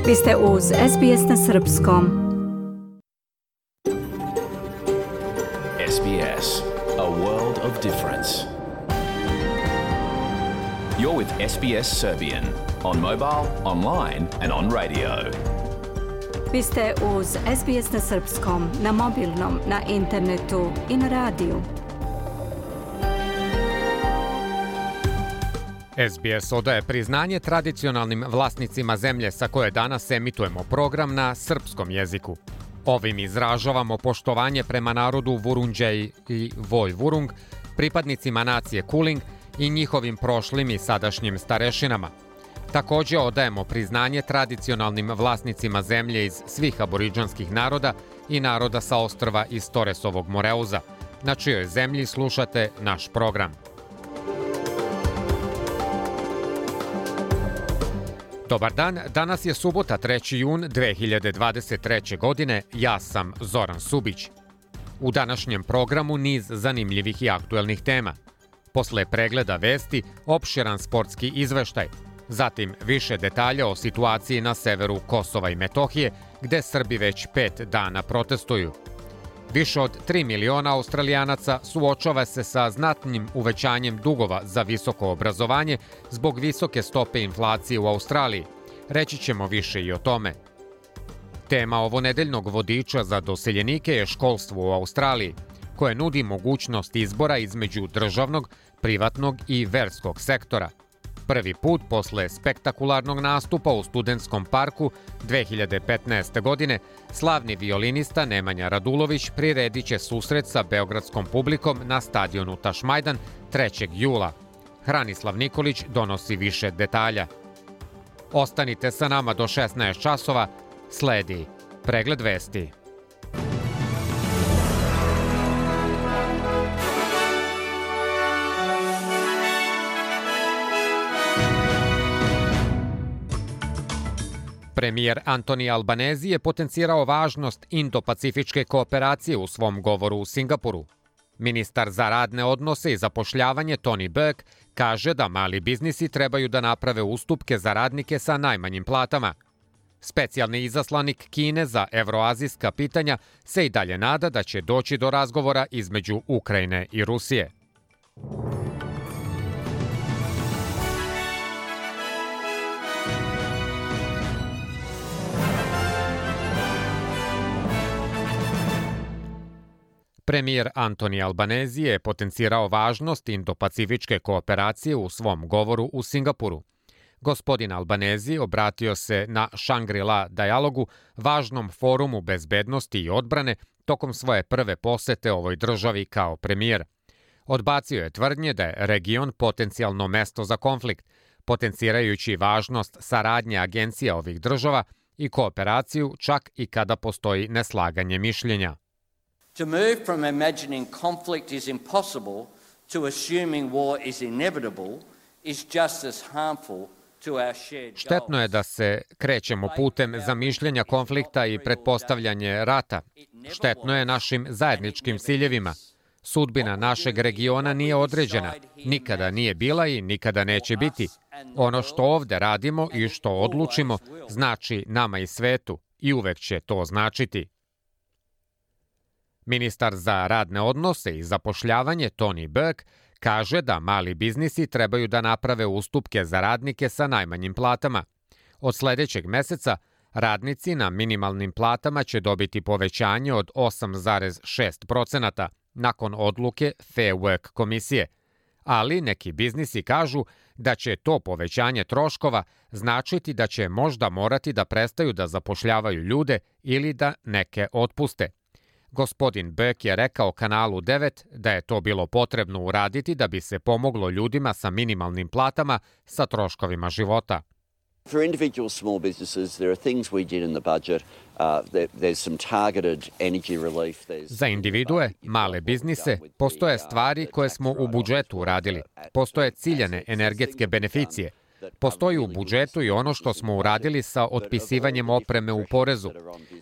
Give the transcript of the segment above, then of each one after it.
Vi ste uz SBS na srpskom. SBS, a world of difference. You're with SBS Serbian on mobile, online and on radio. Vi ste uz SBS na srpskom, na mobilnom, na internetu i na radiju. SBS odaje priznanje tradicionalnim vlasnicima zemlje sa koje danas emitujemo program na srpskom jeziku. Ovim izražavamo poštovanje prema narodu Vurundjeri i Vojvurung, pripadnicima nacije Kulin i njihovim prošlim i sadašnjim starešinama. Također odajemo priznanje tradicionalnim vlasnicima zemlje iz svih aboridžanskih naroda i naroda sa ostrva iz Toresovog Moreuza, na čijoj zemlji slušate naš program. Dobar dan, danas je subota 3. jun 2023. godine, ja sam Zoran Subić. U današnjem programu niz zanimljivih i aktuelnih tema. Posle pregleda vesti, opširan sportski izveštaj, zatim više detalja o situaciji na severu Kosova i Metohije, gde Srbi već 5 dana protestuju. Više od 3 miliona Australijanaca suočava se sa znatnim uvećanjem dugova za visoko obrazovanje zbog visoke stope inflacije u Australiji. Reći ćemo više i o tome. Tema ovonedeljnog vodiča za doseljenike je školstvo u Australiji, koje nudi mogućnost izbora između državnog, privatnog i verskog sektora. Prvi put posle spektakularnog nastupa u Studentskom parku 2015. godine, slavni violinista Nemanja Radulović priredit će susret sa beogradskom publikom na stadionu Tašmajdan 3. jula. Hranislav Nikolić donosi više detalja. Ostanite sa nama do 16 časova, sledi pregled vesti. Premijer Antoni Albanezi je potencirao važnost indo-pacifičke kooperacije u svom govoru u Singapuru. Ministar za radne odnose i zapošljavanje Tony Burke kaže da mali biznisi trebaju da naprave ustupke za radnike sa najmanjim platama. Specijalni izaslanik Kine za evroazijska pitanja se i dalje nada da će doći do razgovora između Ukrajine i Rusije. Premijer Antoni Albanezi je potencirao važnost indo-pacifičke kooperacije u svom govoru u Singapuru. Gospodin Albanezi obratio se na Shangri-La dijalogu, važnom forumu bezbednosti i odbrane, tokom svoje prve posete ovoj državi kao premijer. Odbacio je tvrdnje da je region potencijalno mesto za konflikt, potencirajući važnost saradnje agencija ovih država i kooperaciju čak i kada postoji neslaganje mišljenja. To move from imagining conflict is impossible to assuming war is inevitable is just as harmful to our shared goals. Štetno je da se krećemo putem zamišljanja konflikta i pretpostavljanje rata. Štetno je našim zajedničkim ciljevima. Sudbina našeg regiona nije određena, nikada nije bila i nikada neće biti. Ono što ovde radimo i što odlučimo znači nama i svetu i uvek će to značiti. Ministar za radne odnose i zapošljavanje Tony Burke kaže da mali biznisi trebaju da naprave ustupke za radnike sa najmanjim platama. Od sledećeg meseca radnici na minimalnim platama će dobiti povećanje od 8,6% nakon odluke Fair Work komisije. Ali neki biznisi kažu da će to povećanje troškova značiti da će možda morati da prestaju da zapošljavaju ljude ili da neke otpuste. Gospodin Burke je rekao kanalu 9 da je to bilo potrebno uraditi da bi se pomoglo ljudima sa minimalnim platama sa troškovima života. For individual small businesses, there are things we did in the budget. There's some targeted energy relief. Za individue, male biznise, postoje stvari koje smo u budžetu uradili. Postoje ciljane energetske beneficije. Postoji u budžetu i ono što smo uradili sa otpisivanjem opreme u porezu.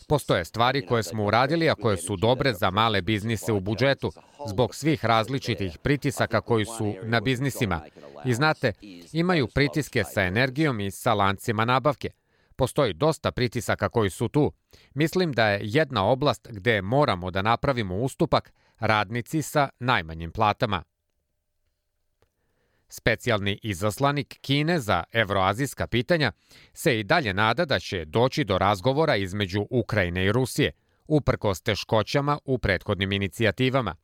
Postoje stvari koje smo uradili, a koje su dobre za male biznise u budžetu, zbog svih različitih pritisaka koji su na biznisima. I znate, imaju pritiske sa energijom i sa lancima nabavke. Postoji dosta pritisaka koji su tu. Mislim da je jedna oblast gde moramo da napravimo ustupak radnici sa najmanjim platama. Specijalni izaslanik Kine za evroazijska pitanja se i dalje nada da će doći do razgovora između Ukrajine i Rusije, uprkos teškoćama u prethodnim inicijativama.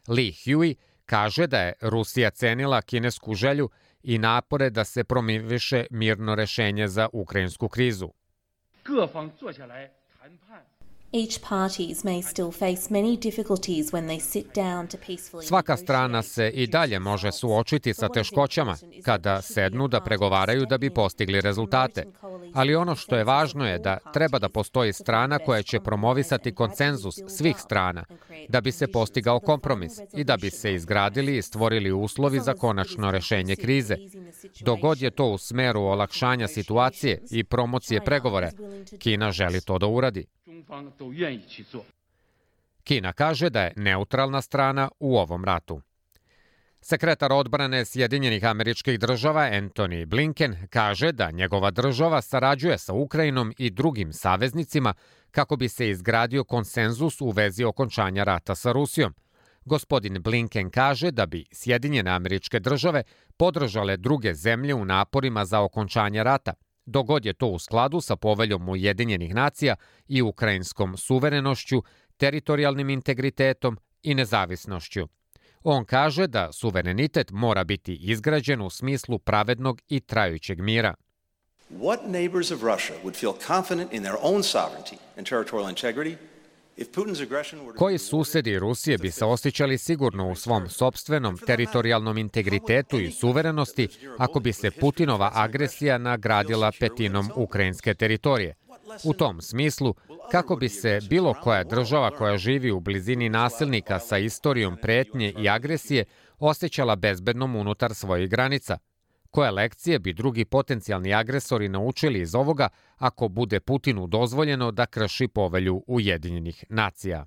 Li Hui kaže da je Rusija cenila kinesku želju i napore da se promoviše mirno rešenje za ukrajinsku krizu. Svaka strana se i dalje može suočiti sa teškoćama kada sednu da pregovaraju da bi postigli rezultate. Ali ono što je važno je da treba da postoji strana koja će promovisati konsenzus svih strana, da bi se postigao kompromis i da bi se izgradili i stvorili uslovi za konačno rešenje krize. Dok god je to u smeru olakšanja situacije i promocije pregovora, Kina želi to da uradi. Kina kaže da je neutralna strana u ovom ratu. Sekretar odbrane Sjedinjenih Američkih Država Antony Blinken kaže da njegova država sarađuje sa Ukrajinom i drugim saveznicima kako bi se izgradio konsenzus u vezi okončanja rata sa Rusijom. Gospodin Blinken kaže da bi Sjedinjene Američke Države podržale druge zemlje u naporima za okončanje rata, dok god je to u skladu sa poveljom Ujedinjenih nacija i ukrajinskom suverenošću, teritorijalnim integritetom i nezavisnošću. On kaže da suverenitet mora biti izgrađen u smislu pravednog i trajućeg mira. What neighbors of Russia would feel confident in their own sovereignty and territorial integrity if Putin's aggression were to... Koji susedi Rusije bi se osjećali sigurno u svom sopstvenom teritorijalnom integritetu i suverenosti ako bi se Putinova agresija nagradila petinom ukrajinske teritorije? U tom smislu, kako bi se bilo koja država koja živi u blizini nasilnika sa istorijom pretnje i agresije osjećala bezbednom unutar svojih granica? Koje lekcije bi drugi potencijalni agresori naučili iz ovoga ako bude Putinu dozvoljeno da krši povelju Ujedinjenih nacija?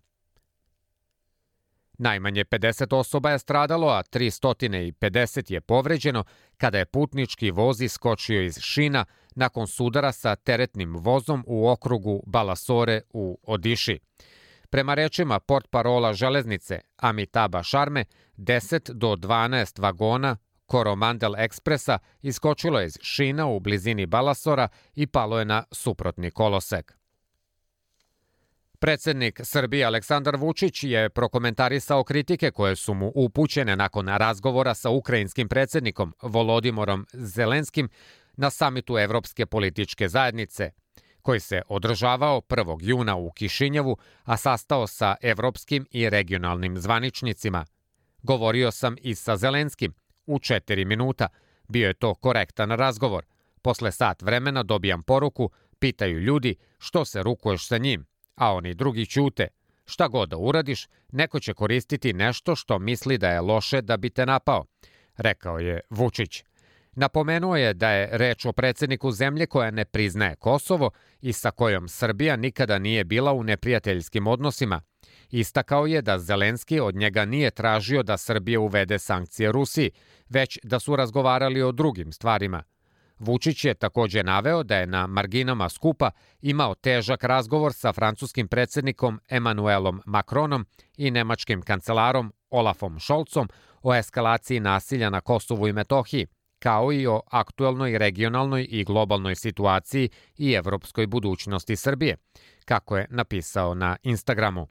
Najmanje 50 osoba je stradalo, a 350 je povređeno kada je putnički voz iskočio iz šina nakon sudara sa teretnim vozom u okrugu Balasore u Odiši. Prema rečima portparola železnice Amitaba Sharme, 10 do 12 vagona Koromandel ekspresa iskočilo je iz šina u blizini Balasora i palo je na suprotni kolosek. Predsednik Srbije Aleksandar Vučić je prokomentarisao kritike koje su mu upućene nakon razgovora sa ukrajinskim predsednikom Volodimorom Zelenskim na samitu Evropske političke zajednice, koji se održavao 1. juna u Kišinjevu, a sastao sa evropskim i regionalnim zvaničnicima. Govorio sam i sa Zelenskim u 4 minuta. Bio je to korektan razgovor. Posle sat vremena dobijam poruku, pitaju ljudi što se rukuješ sa njim, a oni drugi ćute. Šta god da uradiš, neko će koristiti nešto što misli da je loše da bi te napao, rekao je Vučić. Napomenuo je da je reč o predsedniku zemlje koja ne priznaje Kosovo i sa kojom Srbija nikada nije bila u neprijateljskim odnosima. Istakao je da Zelenski od njega nije tražio da Srbija uvede sankcije Rusiji, već da su razgovarali o drugim stvarima. Vučić je takođe naveo da je na marginama skupa imao težak razgovor sa francuskim predsednikom Emmanuelom Macronom i nemačkim kancelarom Olafom Scholzom o eskalaciji nasilja na Kosovu i Metohiji, kao i o aktuelnoj regionalnoj i globalnoj situaciji i evropskoj budućnosti Srbije, kako je napisao na Instagramu.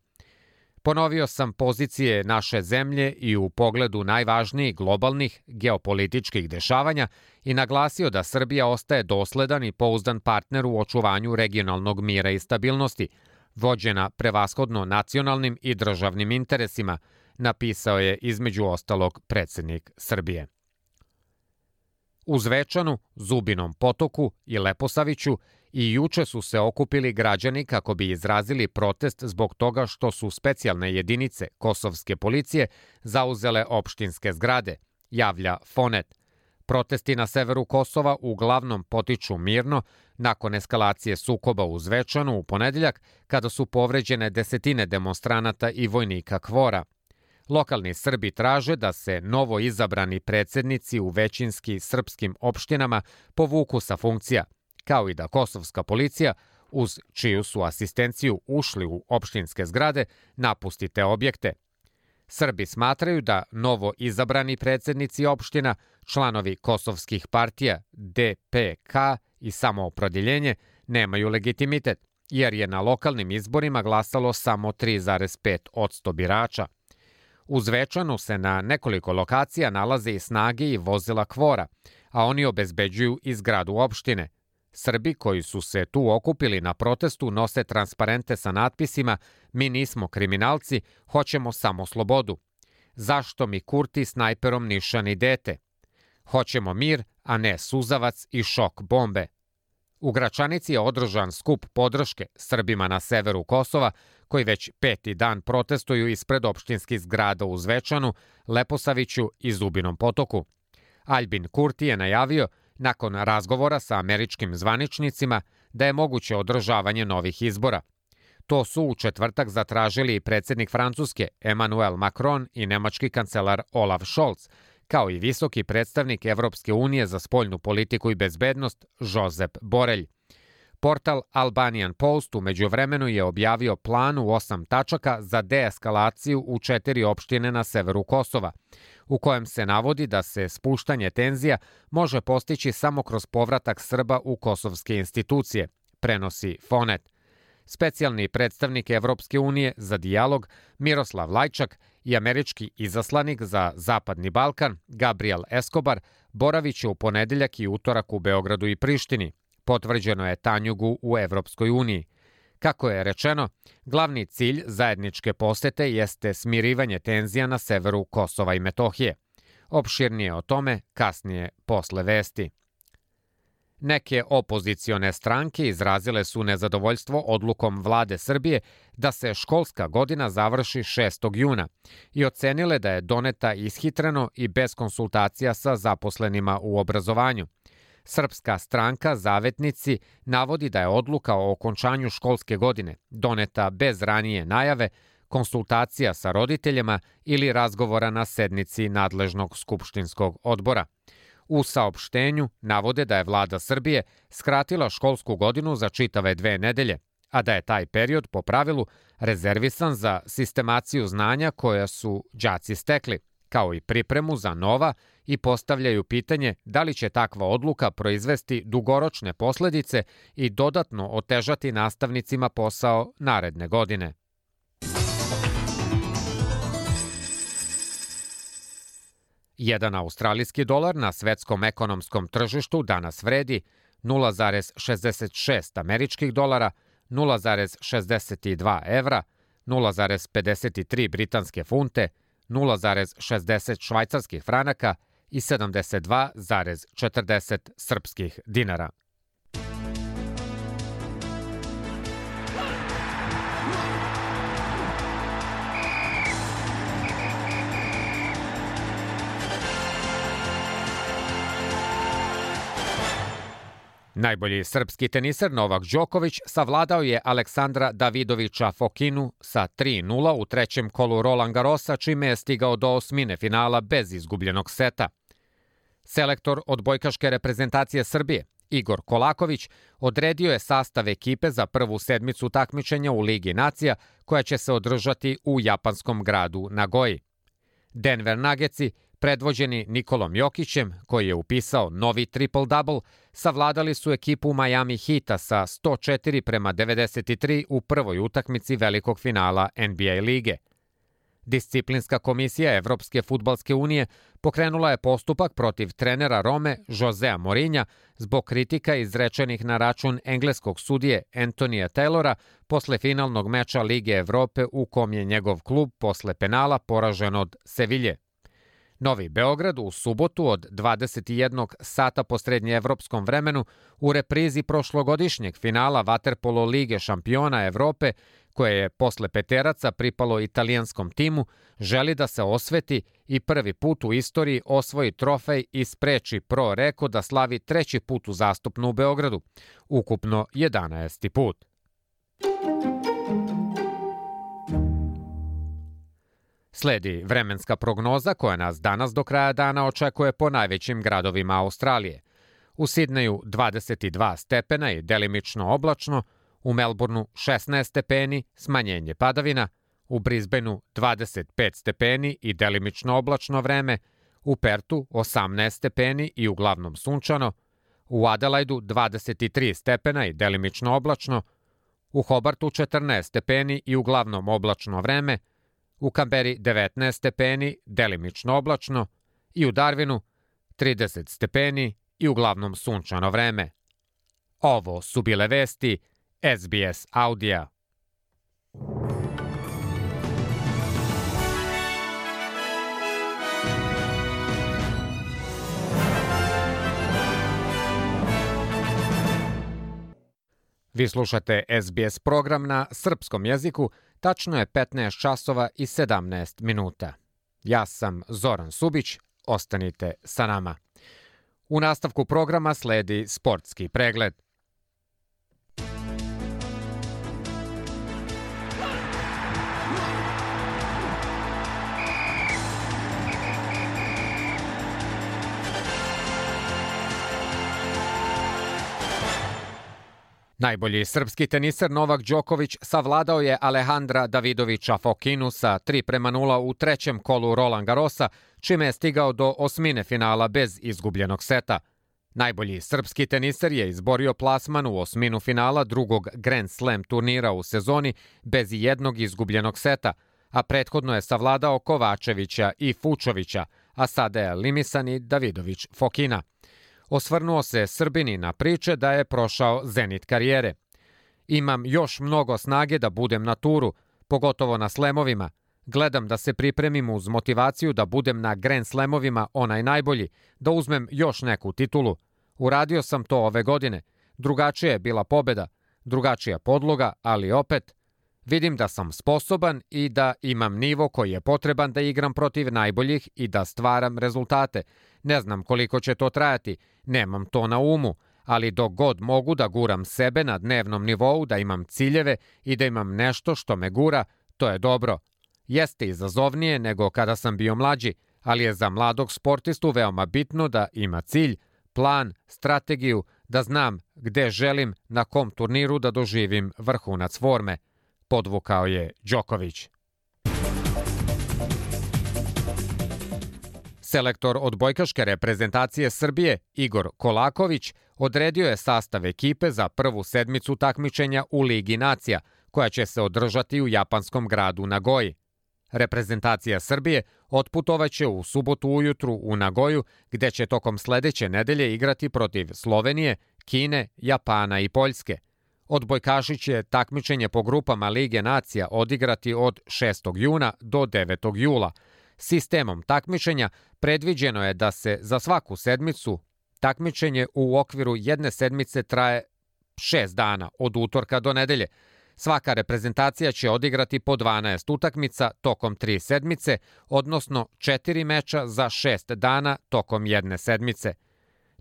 Ponovio sam pozicije naše zemlje i u pogledu najvažnijih globalnih geopolitičkih dešavanja i naglasio da Srbija ostaje dosledan i pouzdan partner u očuvanju regionalnog mira i stabilnosti, vođena prevashodno nacionalnim i državnim interesima, napisao je između ostalog predsednik Srbije. U Zvečanu, Zubinom Potoku i Leposaviću i juče su se okupili građani kako bi izrazili protest zbog toga što su specijalne jedinice kosovske policije zauzele opštinske zgrade, javlja Fonet. Protesti na severu Kosova uglavnom potiču mirno nakon eskalacije sukoba u Zvečanu u ponedeljak kada su povređene desetine demonstranata i vojnika KFOR-a. Lokalni Srbi traže da se novo izabrani predsednici u većinski srpskim opštinama povuku sa funkcija, kao i da kosovska policija, uz čiju su asistenciju ušli u opštinske zgrade, napusti te objekte. Srbi smatraju da novo izabrani predsjednici opština, članovi kosovskih partija DPK i Samoopredjeljenje nemaju legitimitet, jer je na lokalnim izborima glasalo samo 3,5% birača. U Zvečanu se na nekoliko lokacija nalaze i snage i vozila KFOR-a, a oni obezbeđuju i zgradu opštine. Srbi koji su se tu okupili na protestu nose transparente sa natpisima "Mi nismo kriminalci, hoćemo samo slobodu. Zašto mi Kurti snajperom nišani dete? Hoćemo mir, a ne suzavac i šok bombe." U Gračanici je održan skup podrške Srbima na severu Kosova, koji već 5. dan protestuju ispred opštinskih zgrada u Zvečanu, Leposaviću i Zubinom Potoku. Aljbin Kurti je najavio, nakon razgovora sa američkim zvaničnicima, da je moguće održavanje novih izbora. To su u četvrtak zatražili i predsjednik Francuske Emmanuel Macron i nemački kancelar Olaf Scholz, kao i visoki predstavnik Evropske unije za spoljnu politiku i bezbednost Josep Borrell. Portal Albanian Post u međuvremenu je objavio plan u 8 tačaka za deeskalaciju u 4 opštine na severu Kosova, u kojem se navodi da se spuštanje tenzija može postići samo kroz povratak Srba u kosovske institucije, prenosi Fonet. Specijalni predstavnik Evropske unije za dijalog Miroslav Lajčak i američki izaslanik za Zapadni Balkan Gabriel Escobar boraviće u ponedeljak i utorak u Beogradu i Prištini. Potvrđeno je Tanjugu u Evropskoj uniji. Kako je rečeno, glavni cilj zajedničke posete jeste smirivanje tenzija na severu Kosova i Metohije. Opširnije o tome kasnije posle vesti. Neke opozicione stranke izrazile su nezadovoljstvo odlukom vlade Srbije da se školska godina završi 6. juna i ocenile da je doneta ishitreno i bez konsultacija sa zaposlenima u obrazovanju. Srpska stranka Zavetnici navodi da je odluka o okončanju školske godine doneta bez ranije najave, konsultacija sa roditeljima ili razgovora na sednici nadležnog skupštinskog odbora. U saopštenju navode da je vlada Srbije skratila školsku godinu za čitave 2 nedelje, a da je taj period po pravilu rezervisan za sistemaciju znanja koja su đaci stekli, kao i pripremu za nova, i postavljaju pitanje da li će takva odluka proizvesti dugoročne posledice i dodatno otežati nastavnicima posao naredne godine. Jedan australijski dolar na svetskom ekonomskom tržištu danas vredi 0,66 američkih dolara, 0,62 evra, 0,53 britanske funte, 0,60 švajcarskih franaka i 72,40 srpskih dinara. Najbolji srpski teniser Novak Đoković savladao je Aleksandra Davidovića Fokinu sa 3:0 u trećem kolu Roland Garrosa, čime je stigao do osmine finala bez izgubljenog seta. Selektor odbojkaške reprezentacije Srbije, Igor Kolaković, odredio je sastav ekipe za prvu sedmicu takmičenja u Ligi nacija koja će se održati u japanskom gradu Nagoji. Denver Nuggetsi, predvođeni Nikolom Jokićem, koji je upisao novi triple-double, savladali su ekipu Miami Heata sa 104:93 u prvoj utakmici velikog finala NBA lige. Disciplinska komisija Evropske fudbalske unije pokrenula je postupak protiv trenera Rome Josea Mourinha zbog kritika izrečenih na račun engleskog sudije Antonija Taylora posle finalnog meča Lige Evrope u kom je njegov klub posle penala poražen od Sevilje. Novi Beograd u subotu od 21 sata po srednjeevropskom vremenu u reprizi prošlogodišnjeg finala Vaterpolo Lige šampiona Evrope, koje je posle peteraca pripalo italijanskom timu, želi da se osveti i prvi put u istoriji osvoji trofej i spreči Pro Reko da slavi treći put uzastopno u Beogradu, ukupno 11. put. Sledi vremenska prognoza koja nas danas do kraja dana očekuje po najvećim gradovima Australije. u Sidneju 22 stepena i delimično oblačno, u Melbourneu 16 stepeni, smanjenje padavina, u Brisbaneu 25 stepeni i delimično oblačno vreme, u Pertu 18 stepeni i uglavnom sunčano, u Adelaidu 23 stepena i delimično oblačno, u Hobartu 14 stepeni i uglavnom oblačno vreme, u Kamberi 19 stepeni, delimično oblačno i u Darwinu 30 stepeni i uglavnom sunčano vreme. Ovo su bile vesti SBS Audija. Vi slušate SBS program na srpskom jeziku, tačno je 15 časova i 17 minuta. Ja sam Zoran Subić, ostanite sa nama. U nastavku programa sledi sportski pregled. Najbolji srpski teniser Novak Đoković savladao je Alejandra Davidovića Fokinu sa 3:0 u trećem kolu Roland Garrosa, čime je stigao do osmine finala bez izgubljenog seta. Najbolji srpski teniser je izborio plasman u osminu finala drugog Grand Slam turnira u sezoni bez jednog izgubljenog seta, a prethodno je savladao Kovačevića i Fučovića, a sada je elimisan i Davidović Fokina. Osvrnuo se Srbini na priče da je prošao zenit karijere. Imam još mnogo snage da budem na turu, pogotovo na slemovima. Gledam da se pripremim uz motivaciju da budem na Grand Slamovima onaj najbolji, da uzmem još neku titulu. Uradio sam to ove godine. Drugačija je bila pobeda, drugačija podloga, ali opet vidim da sam sposoban i da imam nivo koji je potreban da igram protiv najboljih i da stvaram rezultate. Ne znam koliko će to trajati, nemam to na umu, ali dok god mogu da guram sebe na dnevnom nivou, da imam ciljeve i da imam nešto što me gura, to je dobro. Jeste izazovnije nego kada sam bio mlađi, ali je za mladog sportistu veoma bitno da ima cilj, plan, strategiju, da znam gde želim na kom turniru da doživim vrhunac forme, podvukao je Đoković. Selektor odbojkaške reprezentacije Srbije, Igor Kolaković, odredio je sastav ekipe za prvu sedmicu takmičenja u Ligi nacija, koja će se održati u japanskom gradu Nagoji. Reprezentacija Srbije otputovaće u subotu ujutru u Nagoju, gde će tokom sledeće nedelje igrati protiv Slovenije, Kine, Japana i Poljske. Odbojkaši će takmičenje po grupama Lige nacija odigrati od 6. juna do 9. jula. Sistemom takmičenja predviđeno je da se za svaku sedmicu takmičenje u okviru jedne sedmice traje 6 dana, od utorka do nedelje. Svaka reprezentacija će odigrati po 12 utakmica tokom 3 sedmice, odnosno 4 meča za 6 dana tokom jedne sedmice.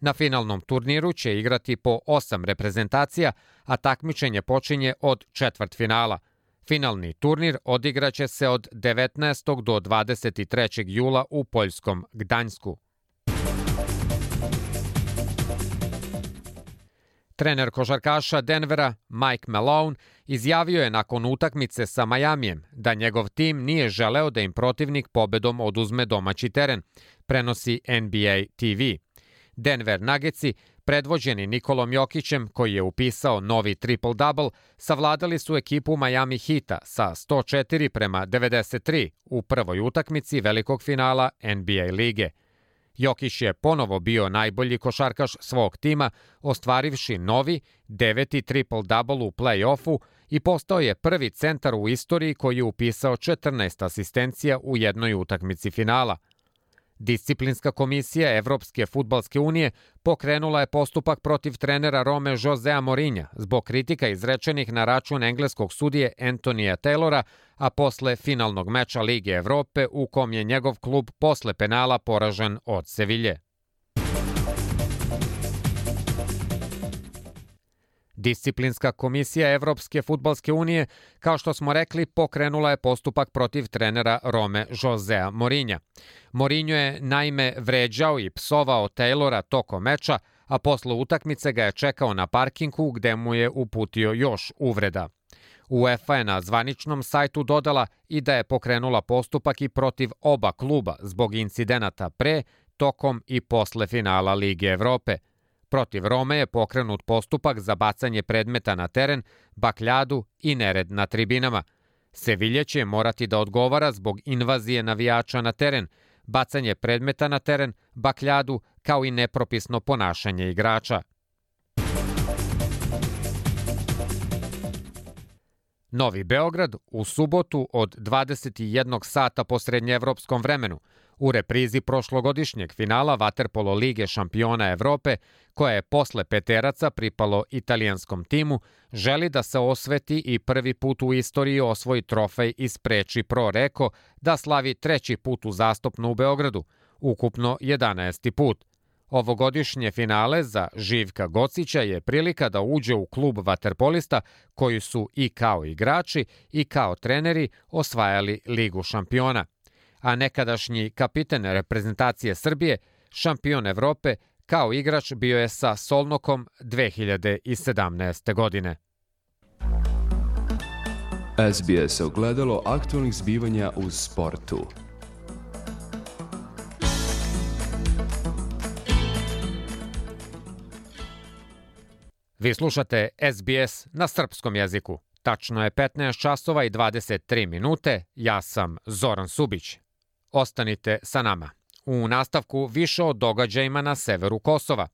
Na finalnom turniru će igrati po 8 reprezentacija, a takmičenje počinje od četvrtfinala. Finalni turnir odigraće se od 19. do 23. jula u poljskom Gdańsku. Trener košarkaša Denvera Mike Malone izjavio je nakon utakmice sa Majamijem da njegov tim nije želeo da im protivnik pobedom oduzme domaći teren, prenosi NBA TV. Denver Nuggetsi, predvođeni Nikolom Jokićem, koji je upisao novi triple-double, savladali su ekipu Miami Heata sa 104:93 u prvoj utakmici velikog finala NBA lige. Jokić je ponovo bio najbolji košarkaš svog tima, ostvarivši novi 9. triple-double u play-offu i postao je prvi centar u istoriji koji je upisao 14 asistencija u jednoj utakmici finala. Disciplinska komisija Evropske fudbalske unije pokrenula je postupak protiv trenera Rome Josea Mourinha zbog kritika izrečenih na račun engleskog sudije Antonija Taylora, a posle finalnog meča Lige Evrope u kom je njegov klub posle penala poražen od Sevilje. Disciplinska komisija Evropske fudbalske unije, kao što smo rekli, pokrenula je postupak protiv trenera Rome Josea Mourinha. Mourinho je naime vređao i psovao Taylora tokom meča, a posle utakmice ga je čekao na parkingu gde mu je uputio još uvreda. UEFA je na zvaničnom sajtu dodala i da je pokrenula postupak i protiv oba kluba zbog incidenata pre, tokom i posle finala Lige Evrope. Protiv Rome je pokrenut postupak za bacanje predmeta na teren, bakljadu i nered na tribinama. Sevilja će morati da odgovara zbog invazije navijača na teren, bacanje predmeta na teren, bakljadu, kao i nepropisno ponašanje igrača. Novi Beograd u subotu od 21 sata po srednjeevropskom vremenu u reprizi prošlogodišnjeg finala Vaterpolo Lige šampiona Evrope, koja je posle peteraca pripalo italijanskom timu, želi da se osveti i prvi put u istoriji osvoji trofej i spreči Pro Reko da slavi treći put uzastopno u Beogradu, ukupno 11. put. Ovogodišnje finale za Živka Gocića je prilika da uđe u klub vaterpolista koji su i kao igrači i kao treneri osvajali Ligu šampiona. A nekadašnji kapiten reprezentacije Srbije, šampion Evrope, kao igrač bio je sa Solnokom 2017. godine. SBS ogledalo aktualnih zbivanja u sportu. Vi slušate SBS na srpskom jeziku. Tačno je 15 časova i 23 minute. Ja sam Zoran Subić. Ostanite sa nama. U nastavku više o događajima na severu Kosova.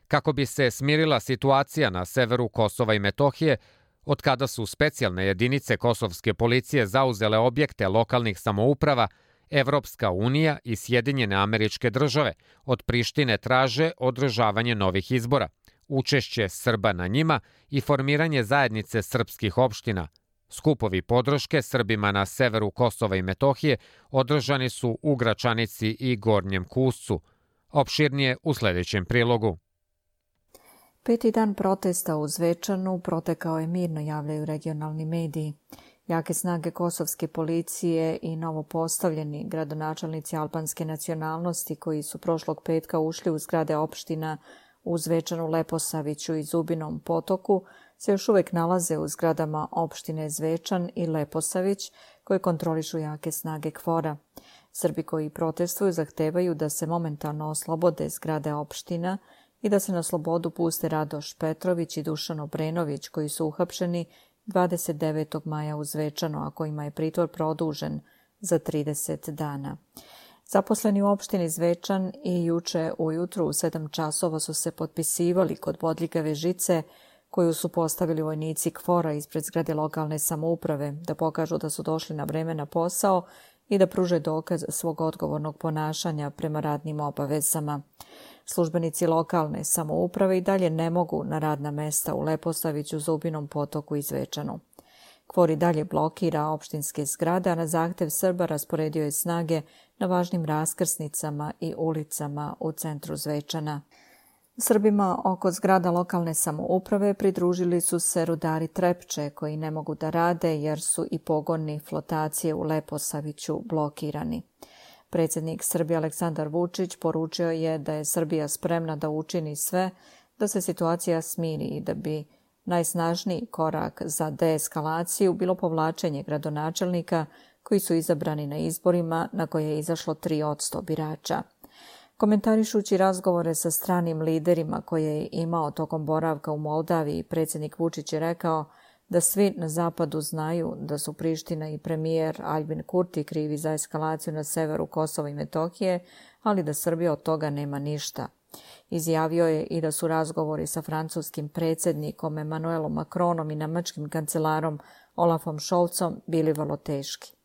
Kako bi se smirila situacija na severu Kosova i Metohije, od kada su specijalne jedinice kosovske policije zauzele objekte lokalnih samouprava, Evropska unija i Sjedinjene Američke Države od Prištine traže održavanje novih izbora, učešće Srba na njima i formiranje zajednice srpskih opština. Skupovi podrške Srbima na severu Kosova i Metohije održani su u Gračanici i Gornjem Kuscu. Opširnije u sledećem prilogu. Peti dan protesta u Zvečanu protekao je mirno, javljaju regionalni mediji. Jake snage kosovske policije i novopostavljeni gradonačelnici albanske nacionalnosti koji su prošlog petka ušli u zgrade opština u Zvečanu, Leposaviću i Zubinom Potoku se još uvek nalaze u zgradama opštine Zvečan i Leposavić koje kontrolišu jake snage KFOR-a. Srbi koji protestuju zahtevaju da se momentalno oslobode zgrade opština i da se na slobodu puste Radoš Petrović i Dušan Obrenović koji su uhapšeni 29. maja u Zvečanu, a kojima je pritvor produžen za 30 dana. Zaposleni u opštini Zvečan i juče ujutru u 7 časova su se potpisivali kod bodljikave žice koju su postavili vojnici KFOR-a ispred zgrade lokalne samouprave da pokažu da su došli na vreme na posao i da pruže dokaz svog odgovornog ponašanja prema radnim obavezama. Službenici lokalne samouprave i dalje ne mogu na radna mesta u Leposaviću, Zubinom Potoku i Zvečanu. KFOR i dalje blokira opštinske zgrade, a na zahtev Srba rasporedio je snage na važnim raskrsnicama i ulicama u centru Zvečana. Srbima oko zgrada lokalne samouprave pridružili su se rudari Trepče koji ne mogu da rade jer su i pogoni flotacije u Leposaviću blokirani. Predsjednik Srbije Aleksandar Vučić poručio je da je Srbija spremna da učini sve da se situacija smiri i da bi najsnažniji korak za deeskalaciju bilo povlačenje gradonačelnika koji su izabrani na izborima na koje je izašlo 3% birača. Komentarišući razgovore sa stranim liderima koje je imao tokom boravka u Moldaviji, predsjednik Vučić je rekao da svi na zapadu znaju da su Priština i premijer Albin Kurti krivi za eskalaciju na severu Kosova i Metohije, ali da Srbija od toga nema ništa. Izjavio je i da su razgovori sa francuskim predsjednikom Emmanuelom Macronom i nemačkim kancelarom Olafom Scholzom bili vrlo teški.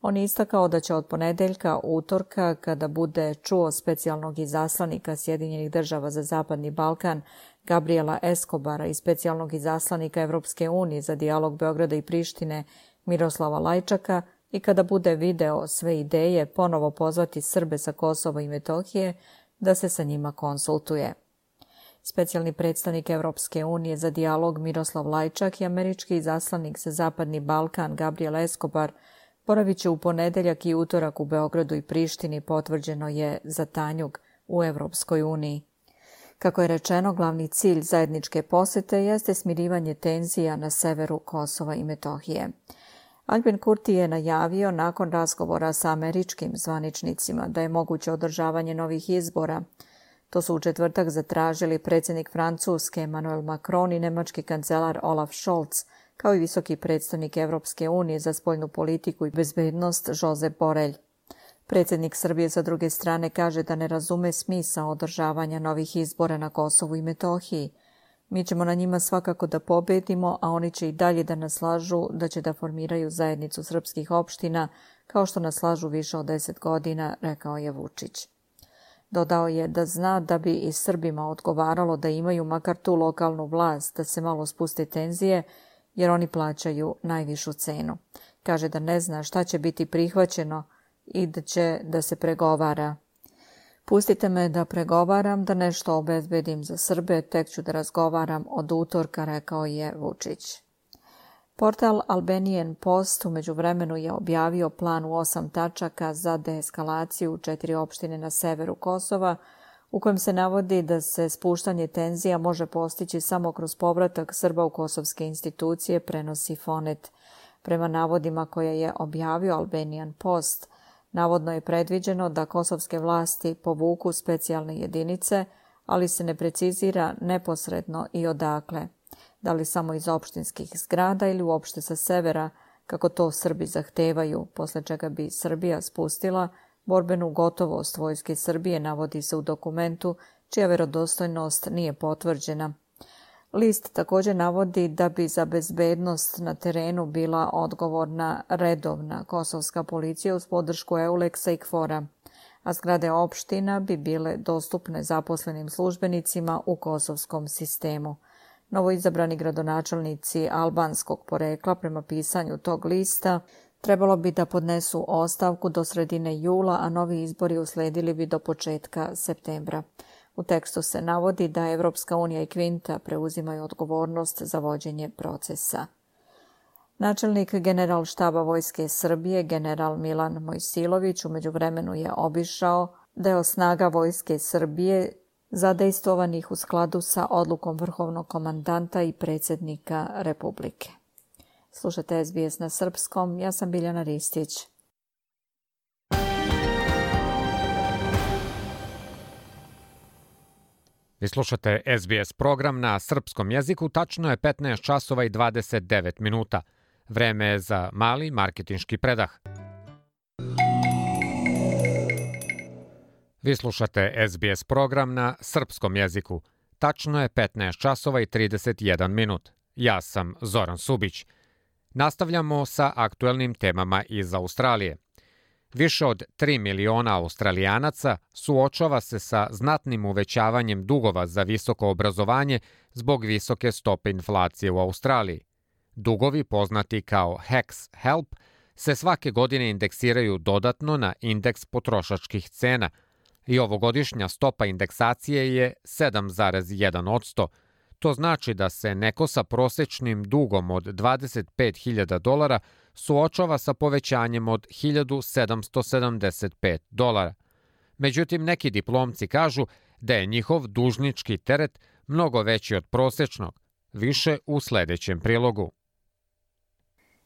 On je istakao da će od ponedeljka, utorka, kada bude čuo specijalnog izaslanika Sjedinjenih država za Zapadni Balkan Gabriela Escobara i specijalnog izaslanika Evropske unije za dijalog Beograda i Prištine Miroslava Lajčaka i kada bude video sve ideje ponovo pozvati Srbe sa Kosova i Metohije da se sa njima konsultuje. Specijalni predstavnik Evropske unije za dijalog Miroslav Lajčak i američki izaslanik za Zapadni Balkan Gabriel Escobar boravit će u ponedeljak i utorak u Beogradu i Prištini, potvrđeno je za Tanjug u Evropskoj uniji. Kako je rečeno, glavni cilj zajedničke posete jeste smirivanje tenzija na severu Kosova i Metohije. Albin Kurti je najavio nakon razgovora sa američkim zvaničnicima da je moguće održavanje novih izbora. To su u četvrtak zatražili predsjednik Francuske Emmanuel Macron i nemački kancelar Olaf Scholz, kao i visoki predstavnik Evropske unije za spoljnu politiku i bezbednost Josep Borrell. Predsjednik Srbije sa druge strane kaže da ne razume smisao održavanja novih izbora na Kosovu i Metohiji. Mi ćemo na njima svakako da pobedimo, a oni će i dalje da nas lažu da će da formiraju zajednicu srpskih opština, kao što nas lažu više od 10 godina, rekao je Vučić. Dodao je da zna da bi i Srbima odgovaralo da imaju makar tu lokalnu vlast, da se malo spuste tenzije, jer oni plaćaju najvišu cenu. Kaže da ne zna šta će biti prihvaćeno i da će da se pregovara. Pustite me da pregovaram, da nešto obezbedim za Srbe, tek ću da razgovaram od utorka, rekao je Vučić. Portal Albanian Post u međuvremenu je objavio plan u 8 tačaka za deeskalaciju u 4 opštine na severu Kosova, u kojem se navodi da se spuštanje tenzija može postići samo kroz povratak Srba u kosovske institucije, prenosi Fonet. Prema navodima koje je objavio Albanian Post, navodno je predviđeno da kosovske vlasti povuku specijalne jedinice, ali se ne precizira neposredno i odakle. Da li samo iz opštinskih zgrada ili uopšte sa severa, kako to Srbi zahtevaju, posle čega bi Srbija spustila borbenu gotovost vojske Srbije, navodi se u dokumentu, čija verodostojnost nije potvrđena. List također navodi da bi za bezbednost na terenu bila odgovorna redovna kosovska policija uz podršku EULEX-a i KFOR-a, a zgrade opština bi bile dostupne zaposlenim službenicima u kosovskom sistemu. Novoizabrani gradonačelnici albanskog porekla, prema pisanju tog lista, trebalo bi da podnesu ostavku do sredine jula, a novi izbori usledili bi do početka septembra. U tekstu se navodi da Evropska unija i Kvinta preuzimaju odgovornost za vođenje procesa. Načelnik Generalštaba Vojske Srbije, general Milan Mojsilović, u međuvremenu je obišao deo snaga Vojske Srbije zadejstvovanih u skladu sa odlukom vrhovnog komandanta i predsjednika Republike. Slušate SBS na srpskom, ja sam Biljana Ristić. Vi slušate SBS program na srpskom jeziku, tačno je 15 časova i 29 minuta. Vreme je za mali marketinški predah. Vi slušate SBS program na srpskom jeziku. Tačno je 15 časova i 31 minut. Ja sam Zoran Subić. Nastavljamo sa aktuelnim temama iz Australije. Više od 3 miliona Australijanaca suočava se sa znatnim uvećavanjem dugova za visoko obrazovanje zbog visoke stope inflacije u Australiji. Dugovi, poznati kao HECS HELP, se svake godine indeksiraju dodatno na indeks potrošačkih cena i ovogodišnja stopa indeksacije je 7,1%. To znači da se neko sa prosečnim dugom od $25.000 suočava sa povećanjem od $1.775. Međutim, neki diplomci kažu da je njihov dužnički teret mnogo veći od prosečnog, više u sledećem prilogu.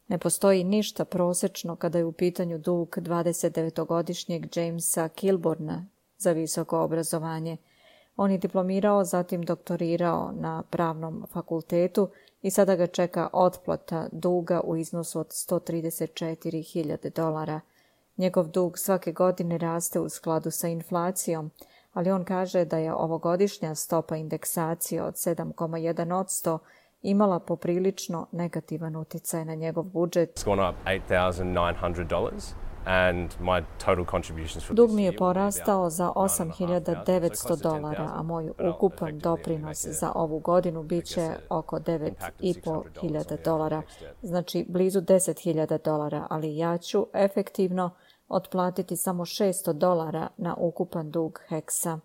Ne postoji ništa prosečno kada je u pitanju dug 29-godišnjeg Jamesa Kilborna za visoko obrazovanje. On je diplomirao, zatim doktorirao na pravnom fakultetu i sada ga čeka otplata duga u iznosu od $134.000. Njegov dug svake godine raste u skladu sa inflacijom, ali on kaže da je ovogodišnja stopa indeksacije od 7,1% imala poprilično negativan uticaj na njegov budžet. Dug mi je porastao za $8.900, a moj ukupan doprinos za ovu godinu bit će oko $9.500, znači blizu $10.000, ali ja ću efektivno otplatiti samo $600 na ukupan dug HECS-a.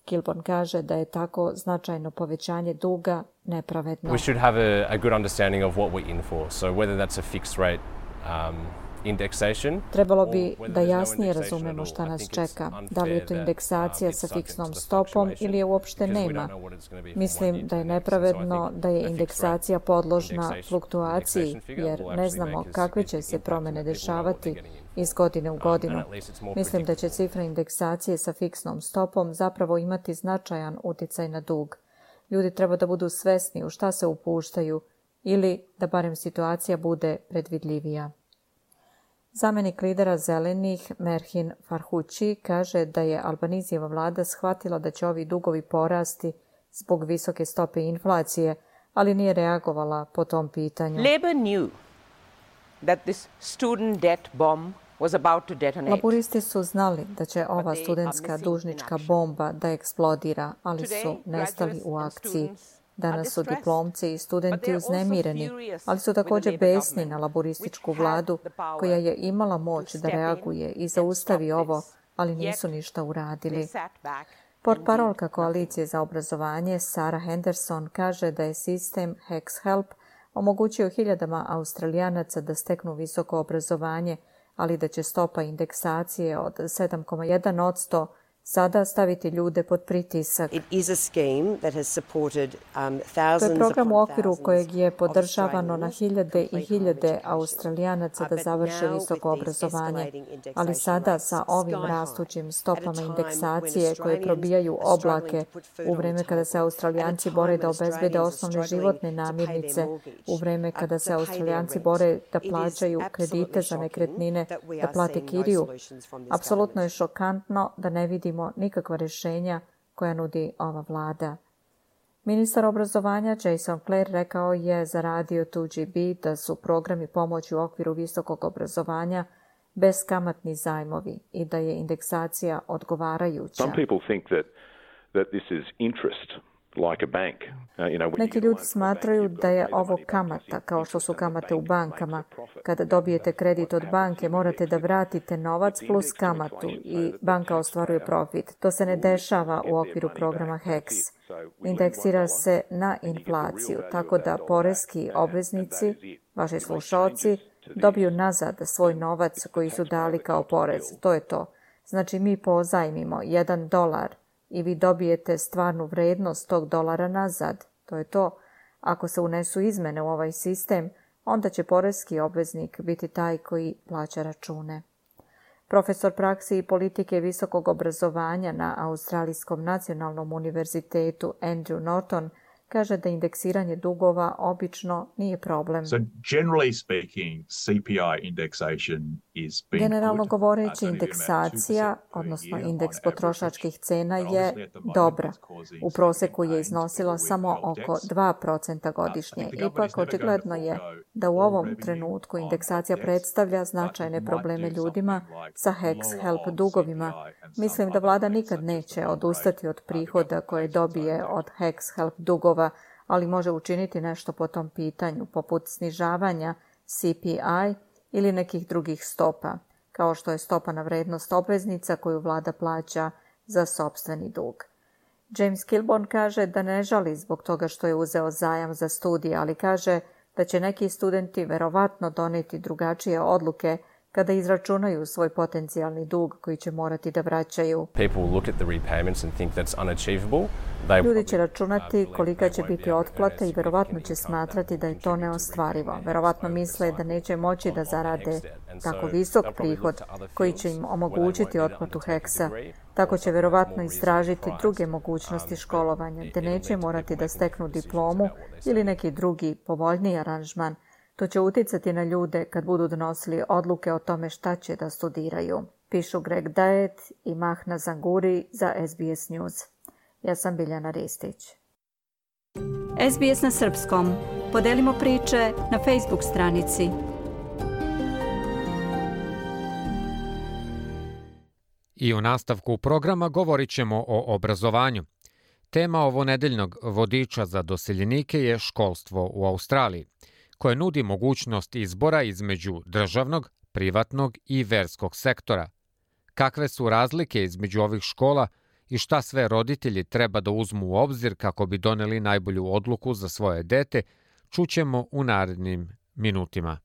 Kilborn kaže da je tako značajno povećanje duga nepravedno. We should have a good understanding of what we're in for. So whether that's a fixed rate Trebalo bi da jasnije razumemo šta nas čeka, da li je to indeksacija sa fiksnom stopom ili je uopšte nema. Mislim da je nepravedno da je indeksacija podložna fluktuaciji, jer ne znamo kakve će se promene dešavati iz godine u godinu. Mislim da će cifra indeksacije sa fiksnom stopom zapravo imati značajan uticaj na dug. Ljudi treba da budu svesni u šta se upuštaju ili da barem situacija bude predvidljivija. Zamenik lidera Zelenih, Merhin Farhući, kaže da je Albanizijeva vlada shvatila da će ovi dugovi porasti zbog visoke stope inflacije, ali nije reagovala po tom pitanju. Labour knew that this student debt bomb was about to detonate. Laburisti su znali da će ova studentska dužnička bomba da eksplodira, ali su nestali u akciji. Danas su diplomci i studenti uznemireni, ali su također besni na laborističku vladu koja je imala moć da reaguje i zaustavi ovo, ali nisu ništa uradili. Portparolka Koalicije za obrazovanje Sarah Henderson kaže da je sistem HexHelp omogućio hiljadama Australijanaca da steknu visoko obrazovanje, ali da će stopa indeksacije od 7,1% sada staviti ljude pod pritisak. To je program u okviru kojeg je podržavano na hiljade i hiljade Australijanaca da završe visoko obrazovanje, ali sada sa ovim rastućim stopama indeksacije koje probijaju oblake u vreme kada se Australijanci bore da obezbede osnovne životne namirnice, u vreme kada se Australijanci bore da plaćaju kredite za nekretnine, da plate kiriju. Apsolutno je šokantno da ne vidimo nikakva rješenja koja nudi ova vlada. Ministar obrazovanja Jason Clare rekao je za radio 2GB da su programi pomoći u okviru visokog obrazovanja beskamatni zajmovi i da je indeksacija odgovarajuća. Neki ljudi smatraju da je ovo kamata, kao što su kamate u bankama. Kada dobijete kredit od banke, morate da vratite novac plus kamatu i banka ostvaruje profit. To se ne dešava u okviru programa HEX. Indeksira se na inflaciju, tako da poreski obveznici, vaši slušaoci, dobiju nazad svoj novac koji su dali kao porez. To je to. Znači mi pozajmimo $1 i vi dobijete stvarnu vrednost tog dolara nazad. To je to. Ako se unesu izmene u ovaj sistem, onda će poreski obveznik biti taj koji plaća račune. Profesor praksi i politike visokog obrazovanja na Australijskom nacionalnom univerzitetu Andrew Norton kaže da indeksiranje dugova obično nije problem. Generalno govoreći, indeksacija, odnosno indeks potrošačkih cena je dobra. U proseku je iznosila samo oko 2% godišnje. Ipak, očigledno je da u ovom trenutku indeksacija predstavlja značajne probleme ljudima sa HexHelp dugovima. Mislim da vlada nikad neće odustati od prihoda koje dobije od HexHelp dugova, ali može učiniti nešto po tom pitanju, poput snižavanja CPI ili nekih drugih stopa, kao što je stopa na vrednost obveznica koju vlada plaća za sopstveni dug. James Kilborn kaže da ne žali zbog toga što je uzeo zajam za studije, ali kaže da će neki studenti verovatno doneti drugačije odluke kada izračunaju svoj potencijalni dug koji će morati da vraćaju. Ljudi će računati kolika će biti otplata i verovatno će smatrati da je to neostvarivo. Verovatno misle da neće moći da zarade tako visok prihod koji će im omogućiti otplatu HEX-a. Tako će verovatno istražiti druge mogućnosti školovanja, gde neće morati da steknu diplomu ili neki drugi povoljniji aranžman. To će uticati na ljude kad budu donosili odluke o tome šta će da studiraju. Pišu Greg Daet i Mahna Zanguri za SBS News. Ja sam Biljana Ristić. SBS na srpskom. Podelimo priče na Facebook stranici. I u nastavku programa govorit ćemo o obrazovanju. Tema ovonedeljnog vodiča za doseljenike je školstvo u Australiji, koje nudi mogućnost izbora između državnog, privatnog i verskog sektora. Kakve su razlike između ovih škola i šta sve roditelji treba da uzmu u obzir kako bi doneli najbolju odluku za svoje dete, čućemo u narednim minutima.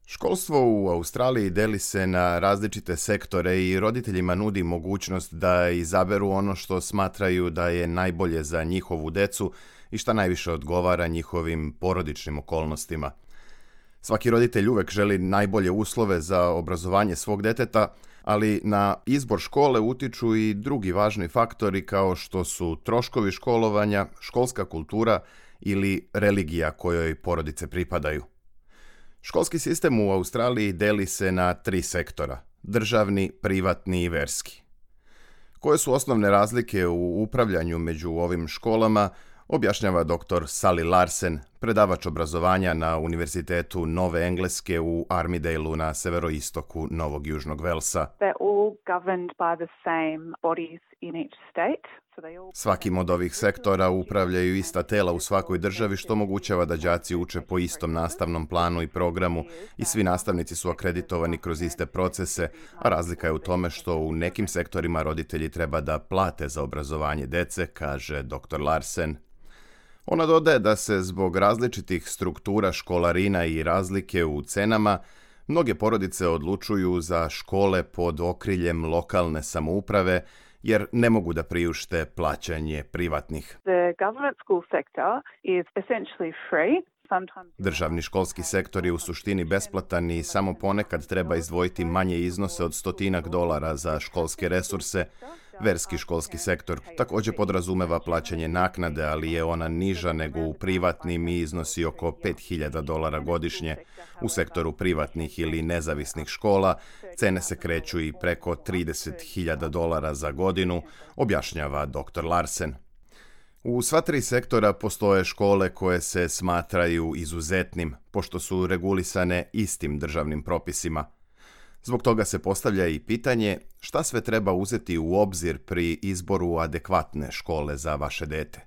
Školstvo u Australiji deli se na različite sektore i roditeljima nudi mogućnost da izaberu ono što smatraju da je najbolje za njihovu decu i šta najviše odgovara njihovim porodičnim okolnostima. Svaki roditelj uvek želi najbolje uslove za obrazovanje svog deteta, ali na izbor škole utiču i drugi važni faktori kao što su troškovi školovanja, školska kultura ili religija kojoj porodice pripadaju. Školski sistem u Australiji deli se na 3 sektora: državni, privatni i verski. Koje su osnovne razlike u upravljanju među ovim školama, objašnjava dr. Sally Larsen, predavač obrazovanja na Univerzitetu Nove Engleske u Armidaleu na severoistoku Novog Južnog Velsa. Svakim od ovih sektora upravljaju ista tela u svakoj državi, što omogućava da đaci uče po istom nastavnom planu i programu i svi nastavnici su akreditovani kroz iste procese, a razlika je u tome što u nekim sektorima roditelji treba da plate za obrazovanje dece, kaže dr. Larsen. Ona dodaje da se zbog različitih struktura školarina i razlike u cenama, mnoge porodice odlučuju za škole pod okriljem lokalne samouprave, jer ne mogu da priušte plaćanje privatnih. Državni školski sektor je u suštini besplatan i samo ponekad treba izdvojiti manje iznose od $100 za školske resurse. Verski školski sektor također podrazumeva plaćanje naknade, ali je ona niža nego u privatnim i iznosi oko $5.000 godišnje. U sektoru privatnih ili nezavisnih škola cene se kreću i preko $30.000 za godinu, objašnjava dr. Larsen. U sva 3 sektora postoje škole koje se smatraju izuzetnim, pošto su regulisane istim državnim propisima. Zbog toga se postavlja i pitanje šta sve treba uzeti u obzir pri izboru adekvatne škole za vaše dete.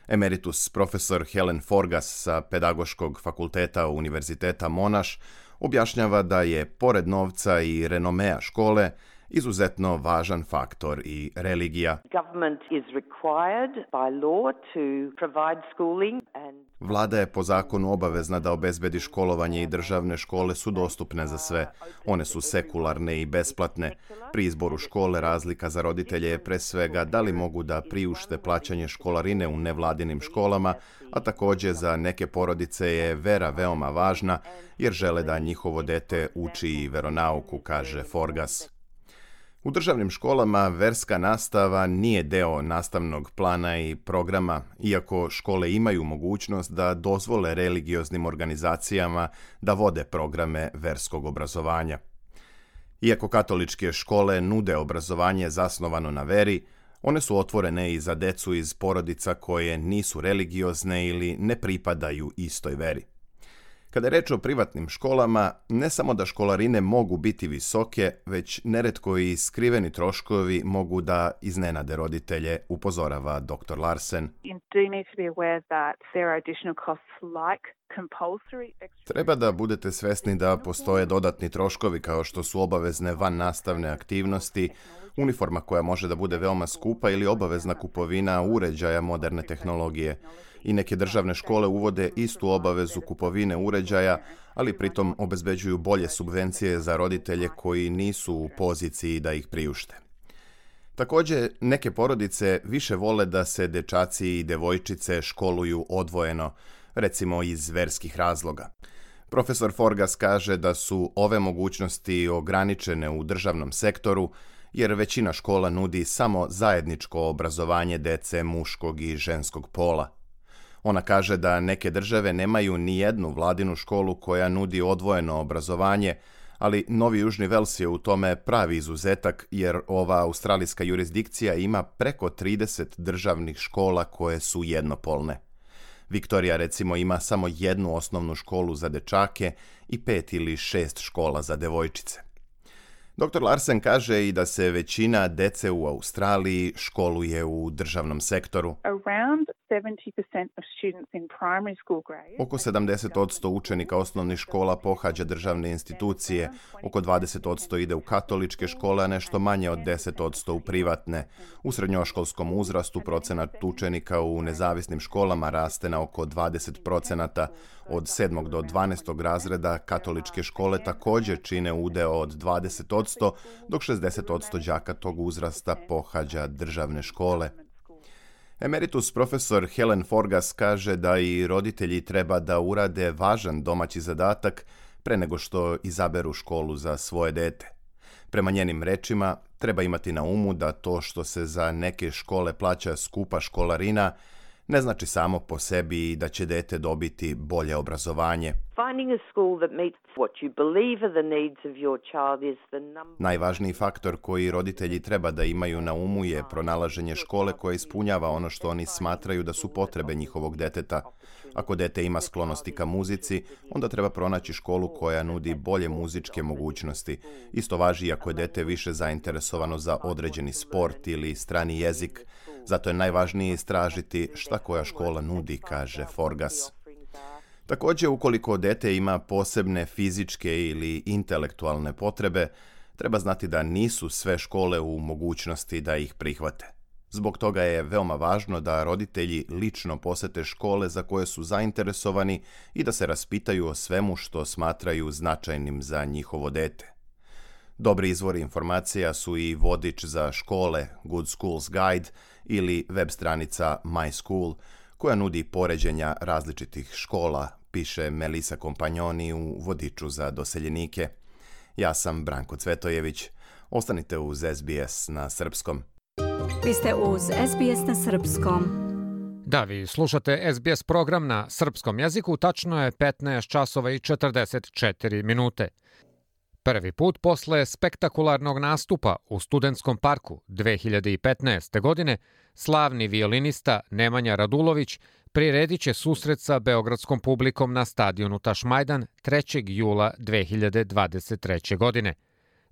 Emeritus profesor Helen Forgas sa Pedagoškog fakulteta Univerziteta Monash objašnjava da je, pored novca i renomea škole, izuzetno važan faktor i religija. Vlada je po zakonu obavezna da obezbedi školovanje i državne škole su dostupne za sve. One su sekularne i besplatne. Pri izboru škole razlika za roditelje je pre svega da li mogu da priušte plaćanje školarine u nevladinim školama, a također za neke porodice je vera veoma važna jer žele da njihovo dete uči i veronauku, kaže Forgas. U državnim školama verska nastava nije deo nastavnog plana i programa, iako škole imaju mogućnost da dozvole religioznim organizacijama da vode programe verskog obrazovanja. Iako katoličke škole nude obrazovanje zasnovano na veri, one su otvorene i za decu iz porodica koje nisu religiozne ili ne pripadaju istoj veri. Kada je reč o privatnim školama, ne samo da školarine mogu biti visoke, već neretko i skriveni troškovi mogu da iznenade roditelje, upozorava dr. Larsen. Treba da budete svesni da postoje dodatni troškovi kao što su obavezne vannastavne aktivnosti, uniforma koja može da bude veoma skupa ili obavezna kupovina uređaja moderne tehnologije. I neke državne škole uvode istu obavezu kupovine uređaja, ali pritom obezbeđuju bolje subvencije za roditelje koji nisu u poziciji da ih priušte. Također, neke porodice više vole da se dečaci i devojčice školuju odvojeno, recimo iz verskih razloga. Profesor Forgas kaže da su ove mogućnosti ograničene u državnom sektoru, jer većina škola nudi samo zajedničko obrazovanje dece muškog i ženskog pola. Ona kaže da neke države nemaju ni jednu vladinu školu koja nudi odvojeno obrazovanje, ali Novi Južni Vels je u tome pravi izuzetak jer ova australijska jurisdikcija ima preko 30 državnih škola koje su jednopolne. Viktorija recimo ima samo jednu osnovnu školu za dečake i 5 ili 6 škola za devojčice. Dr. Larsen kaže i da se većina dece u Australiji školuje u državnom sektoru. Oko 70% učenika osnovnih škola pohađa državne institucije, oko 20% ide u katoličke škole, a nešto manje od 10% u privatne. U srednjoškolskom uzrastu procenat učenika u nezavisnim školama raste na oko 20%. Od 7. do 12. razreda katoličke škole također čine udeo od 20%, dok 60% đaka tog uzrasta pohađa državne škole. Emeritus profesor Helen Forgas kaže da i roditelji treba da urade važan domaći zadatak pre nego što izaberu školu za svoje dete. Prema njenim rečima, treba imati na umu da to što se za neke škole plaća skupa školarina ne znači samo po sebi i da će dete dobiti bolje obrazovanje. Najvažniji faktor koji roditelji treba da imaju na umu je pronalaženje škole koja ispunjava ono što oni smatraju da su potrebe njihovog deteta. Ako dete ima sklonosti ka muzici, onda treba pronaći školu koja nudi bolje muzičke mogućnosti. Isto važi ako je dete više zainteresovano za određeni sport ili strani jezik. Zato je najvažnije istražiti šta koja škola nudi, kaže Forgas. Također, ukoliko dete ima posebne fizičke ili intelektualne potrebe, treba znati da nisu sve škole u mogućnosti da ih prihvate. Zbog toga je veoma važno da roditelji lično posete škole za koje su zainteresovani i da se raspitaju o svemu što smatraju značajnim za njihovo dete. Dobri izvori informacija su i vodič za škole Good Schools Guide ili web stranica My School, koja nudi poređenja različitih škola, piše Melisa Kompanjoni u vodiču za doseljenike. Ja sam Branko Cvetojević. Ostanite uz SBS na srpskom. Vi ste uz SBS na srpskom. Da, vi slušate SBS program na srpskom jeziku, tačno je 15 časova i 44 minute. Prvi put posle spektakularnog nastupa u Studentskom parku 2015. godine, slavni violinista Nemanja Radulović priredit će susret sa beogradskom publikom na stadionu Tašmajdan 3. jula 2023. godine.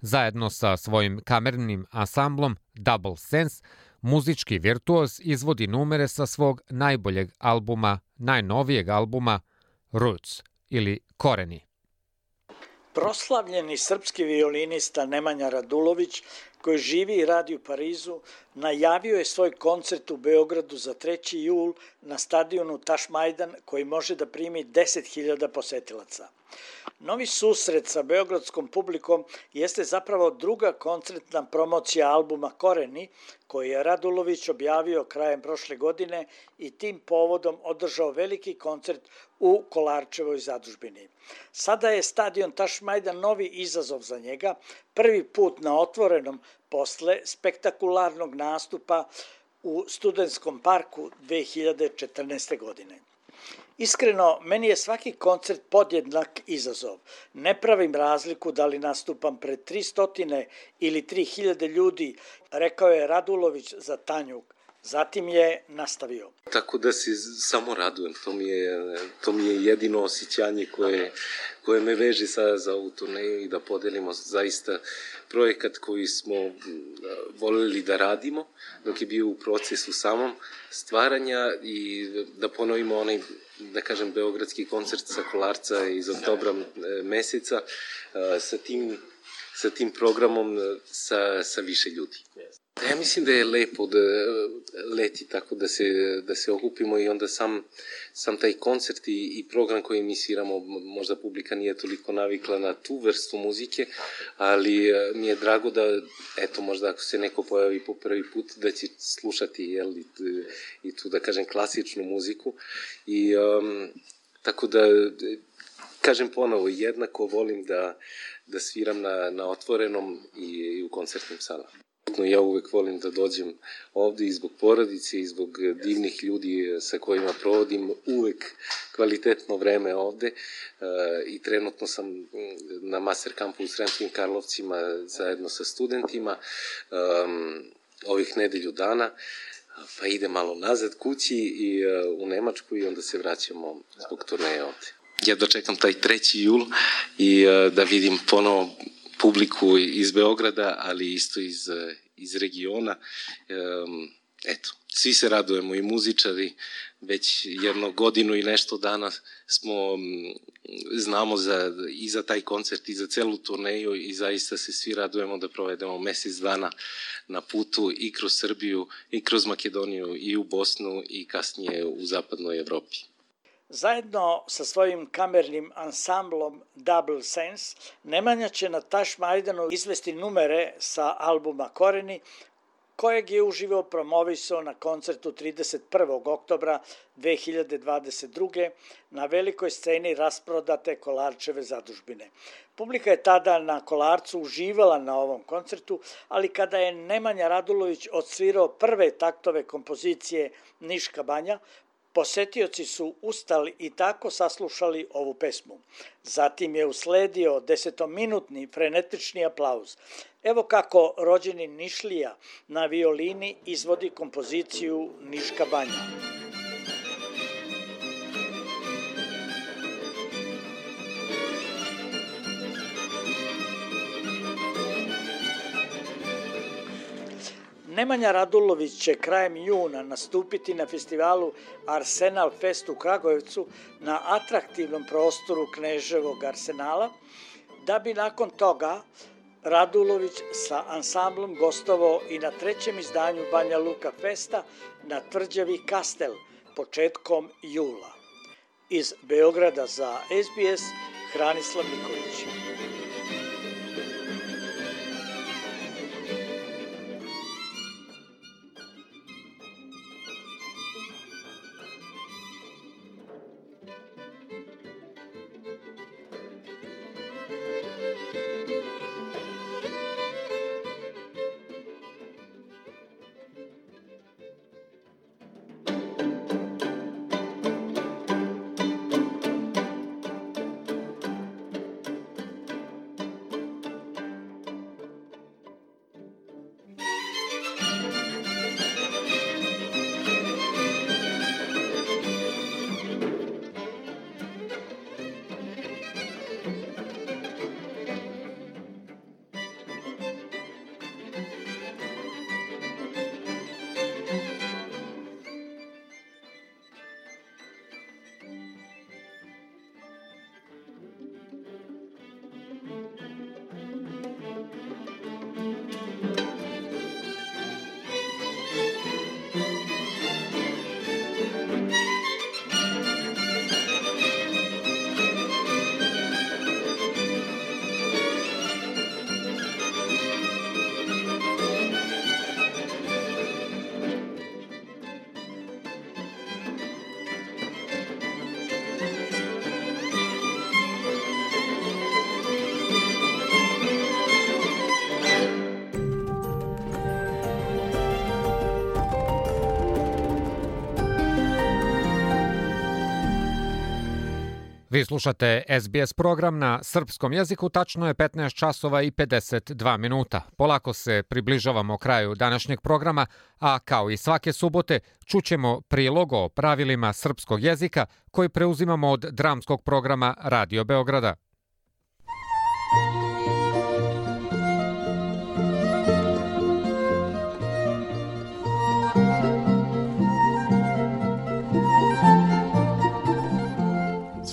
Zajedno sa svojim kamernim ansamblom Double Sense, muzički virtuoz izvodi numere sa svog najnovijeg albuma Roots ili Koreni. Proslavljeni srpski violinista Nemanja Radulović, koji živi i radi u Parizu, najavio je svoj koncert u Beogradu za 3. jul na stadionu Tašmajdan, koji može da primi 10.000 posetilaca. Novi susret sa beogradskom publikom jeste zapravo druga koncertna promocija albuma Koreni, koji je Radulović objavio krajem prošle godine i tim povodom održao veliki koncert u Kolarčevoj zadužbini. Sada je stadion Tašmajdan novi izazov za njega, prvi put na otvorenom posle spektakularnog nastupa u Studentskom parku 2014. godine. Iskreno, meni je svaki koncert podjednak izazov. Ne pravim razliku da li nastupam pred 300 ili 3000 ljudi, rekao je Radulović za Tanjug. Zatim je nastavio. Tako da se samo radujem, to mi je jedino osjećanje koje me veže za ovu turneju i da podelimo zaista projekat koji smo voljeli da radimo dok je bio u procesu samom stvaranja i da ponovimo onaj, da kažem, beogradski koncert sa Kolarca iz oktobra meseca sa tim programom sa više ljudi. Ja mislim da je lepo da leti tako da se okupimo i onda sam taj koncert i program koji mi sviramo, možda publika nije toliko navikla na tu vrstu muzike, ali mi je drago da, eto, možda ako se neko pojavi po prvi put, da će slušati i tu, da kažem, klasičnu muziku. I tako da, kažem ponovo, jednako volim da sviram na otvorenom i u koncertnim salama. Ja uvek volim da dođem ovde i zbog porodice i zbog divnih ljudi sa kojima provodim uvek kvalitetno vreme ovde i trenutno sam na master kampu u Sremskim Karlovcima zajedno sa studentima ovih nedelju dana, pa idem malo nazad kući i u Nemačku i onda se vraćamo zbog turneje ovde. Ja dočekam taj 3. jul i da vidim ponovo publiku iz Beograda, ali isto iz regiona. eto, svi se radujemo i muzičari, već jedno godinu i nešto dana znamo i za taj koncert i za celu turneju i zaista se svi radujemo da provedemo mesec dana na putu i kroz Srbiju i kroz Makedoniju i u Bosnu i kasnije u zapadnoj Evropi. Zajedno sa svojim kamernim ansamblom Double Sense, Nemanja će na Tašmajdanu izvesti numere sa albuma Koreni, kojeg je uživo promovisao na koncertu 31. oktobra 2022. na velikoj sceni rasprodate Kolarčeve zadužbine. Publika je tada na Kolarcu uživala na ovom koncertu, ali kada je Nemanja Radulović odsvirao prve taktove kompozicije Niška banja, posetioci su ustali i tako saslušali ovu pesmu. Zatim je usledio 10-minutni frenetični aplauz. Evo kako rođeni Nišlija na violini izvodi kompoziciju Niška banja. Nemanja Radulović će krajem juna nastupiti na festivalu Arsenal Fest u Kragujevcu na atraktivnom prostoru Kneževog arsenala, da bi nakon toga Radulović sa ansamblom gostovao i na 3. izdanju Banja Luka Festa na tvrđavi Kastel početkom jula. Iz Beograda za SBS, Hranislav Nikolić. Vi slušate SBS program na srpskom jeziku, tačno je 15 časova i 52 minuta. Polako se približavamo kraju današnjeg programa, a kao i svake subote čućemo prilog o pravilima srpskog jezika koji preuzimamo od dramskog programa Radio Beograda.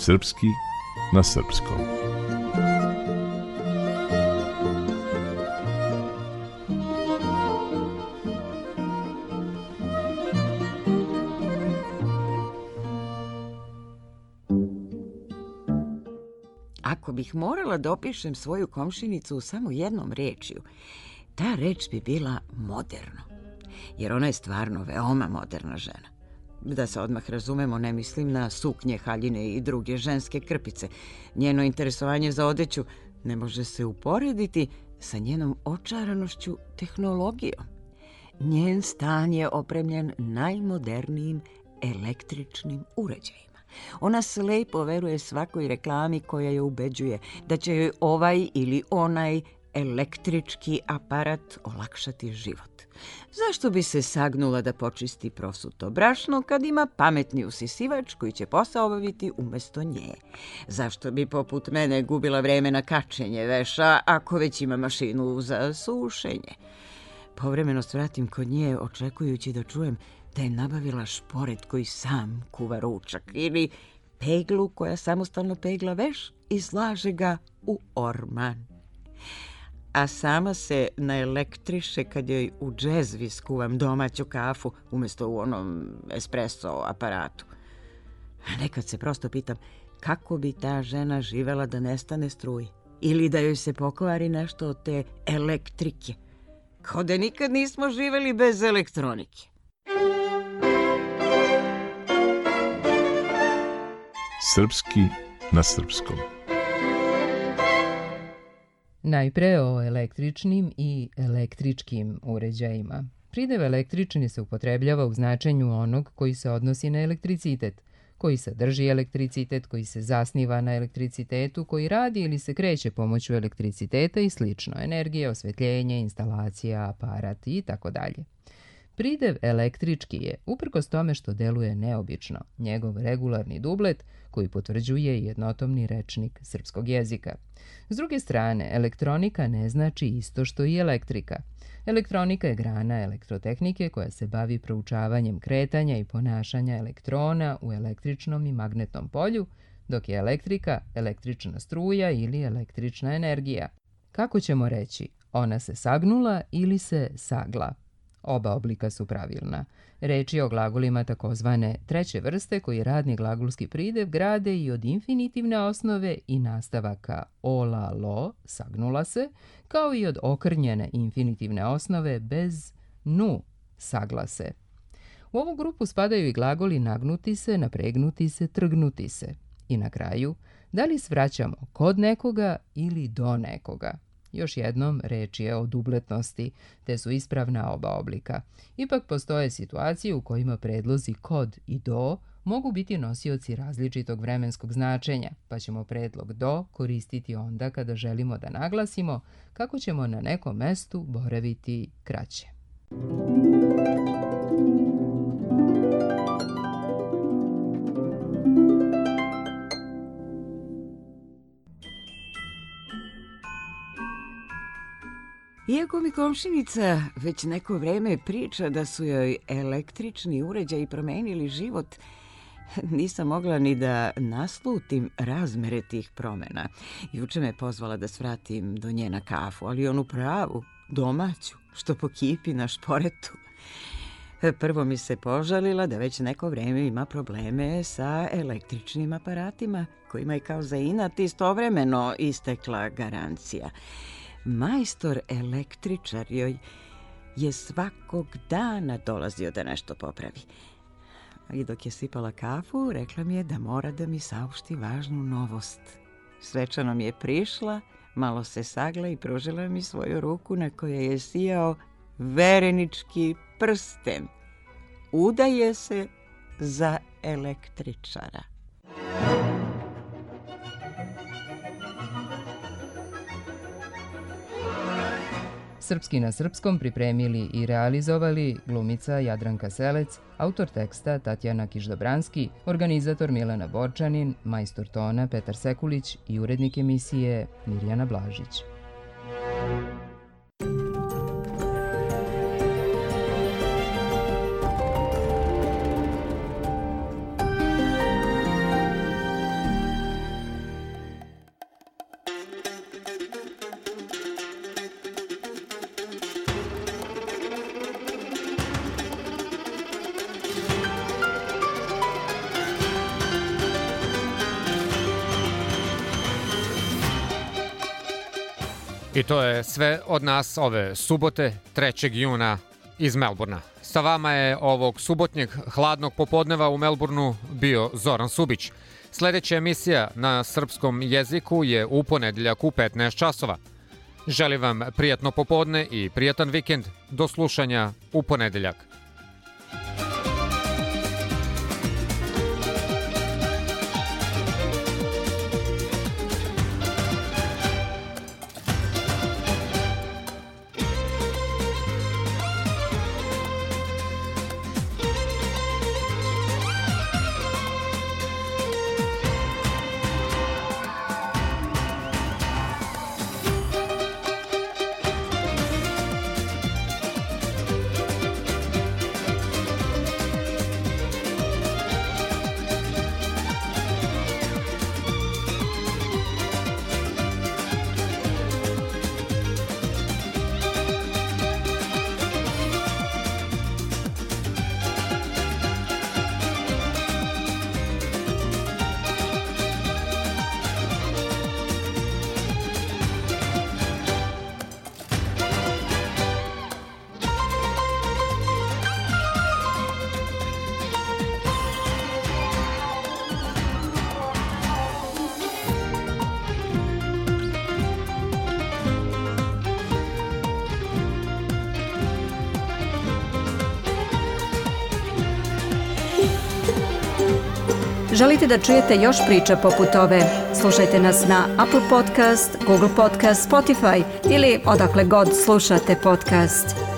Srpski na srpskom. Ako bih morala da opišem svoju komšinicu samo jednom rečju, ta reč bi bila moderno, jer ona je stvarno veoma moderna žena. Da se odmah razumemo, ne mislim na suknje, haljine i druge ženske krpice. Njeno interesovanje za odeću ne može se uporediti sa njenom očaranošću tehnologijom. Njen stan je opremljen najmodernijim električnim uređajima. Ona slepo veruje svakoj reklami koja je ubeđuje da će joj ovaj ili onaj električki aparat olakšati život. Zašto bi se sagnula da počisti prosuto brašno kad ima pametni usisivač koji će posao obaviti umesto nje? Zašto bi poput mene gubila vreme na kačenje veša ako već ima mašinu za sušenje? Povremeno svratim kod nje očekujući da čujem da je nabavila šporet koji sam kuva ručak ili peglu koja samostalno pegla veš i slaže ga u orman. A sama se naelektriše kad joj u džezvi skuvam domaću kafu umjesto u onom espresso aparatu. A nekad se prosto pitam kako bi ta žena živela da nestane struje ili da joj se pokvari nešto od te elektrike. Kao da nikad nismo živeli bez elektronike. Srpski na srpskom. Najpre o električnim i električkim uređajima. Pridev električni se upotrebljava u značenju onog koji se odnosi na elektricitet, koji sadrži elektricitet, koji se zasniva na elektricitetu, koji radi ili se kreće pomoću elektriciteta i slično, energije, osvetljenje, instalacija, aparat i tako dalje. Pridev električki je, uprkos tome što deluje neobično, njegov regularni dublet koji potvrđuje jednotomni rečnik srpskog jezika. S druge strane, elektronika ne znači isto što i elektrika. Elektronika je grana elektrotehnike koja se bavi proučavanjem kretanja i ponašanja elektrona u električnom i magnetnom polju, dok je elektrika električna struja ili električna energija. Kako ćemo reći, ona se sagnula ili se sagla? Oba oblika su pravilna. Reč je o glagolima takozvane treće vrste koji radni glagolski pridev grade i od infinitivne osnove i nastavaka ola, lo, sagnula se, kao i od okrnjene infinitivne osnove bez nu, sagla se. U ovu grupu spadaju i glagoli nagnuti se, napregnuti se, trgnuti se. I na kraju, da li svraćamo kod nekoga ili do nekoga? Još jednom, reč je o dubletnosti, te su ispravna oba oblika. Ipak postoje situacije u kojima predlozi kod i do mogu biti nosioci različitog vremenskog značenja, pa ćemo predlog do koristiti onda kada želimo da naglasimo kako ćemo na nekom mestu boraviti kraće. Iako mi komšinica već neko vreme priča da su joj električni uređaji promenili život, nisam mogla ni da naslutim razmere tih promjena. Juče me pozvala da svratim do nje na kafu, ali onu pravu, domaću, što pokipi na šporetu. Prvo mi se požalila da već neko vreme ima probleme sa električnim aparatima, kojima je kao za inat istovremeno istekla garancija. Majstor električar joj je svakog dana dolazio da nešto popravi. I dok je sipala kafu, rekla mi je da mora da mi saopšti važnu novost. Svečano mi je prišla, malo se sagla i pružila mi svoju ruku na kojoj je sijao verenički prsten. Udaje se za električara. Srpski na srpskom pripremili i realizovali glumica Jadranka Selec, autor teksta Tatjana Kiš-Dobranski, organizator Milena Borčanin, majstor tona Petar Sekulić i urednik emisije Mirjana Blažić. I to je sve od nas ove subote, 3. juna iz Melburna. Sa vama je ovog subotnjeg hladnog popodneva u Melburnu bio Zoran Subić. Sljedeća emisija na srpskom jeziku je u ponedjeljak u 15 časova. Želim vam prijatno popodne i prijatan vikend. Do slušanja u ponedjeljak. Želite da čujete još priča poput ove? Slušajte nas na Apple Podcast, Google Podcast, Spotify ili odakle god slušate podcast.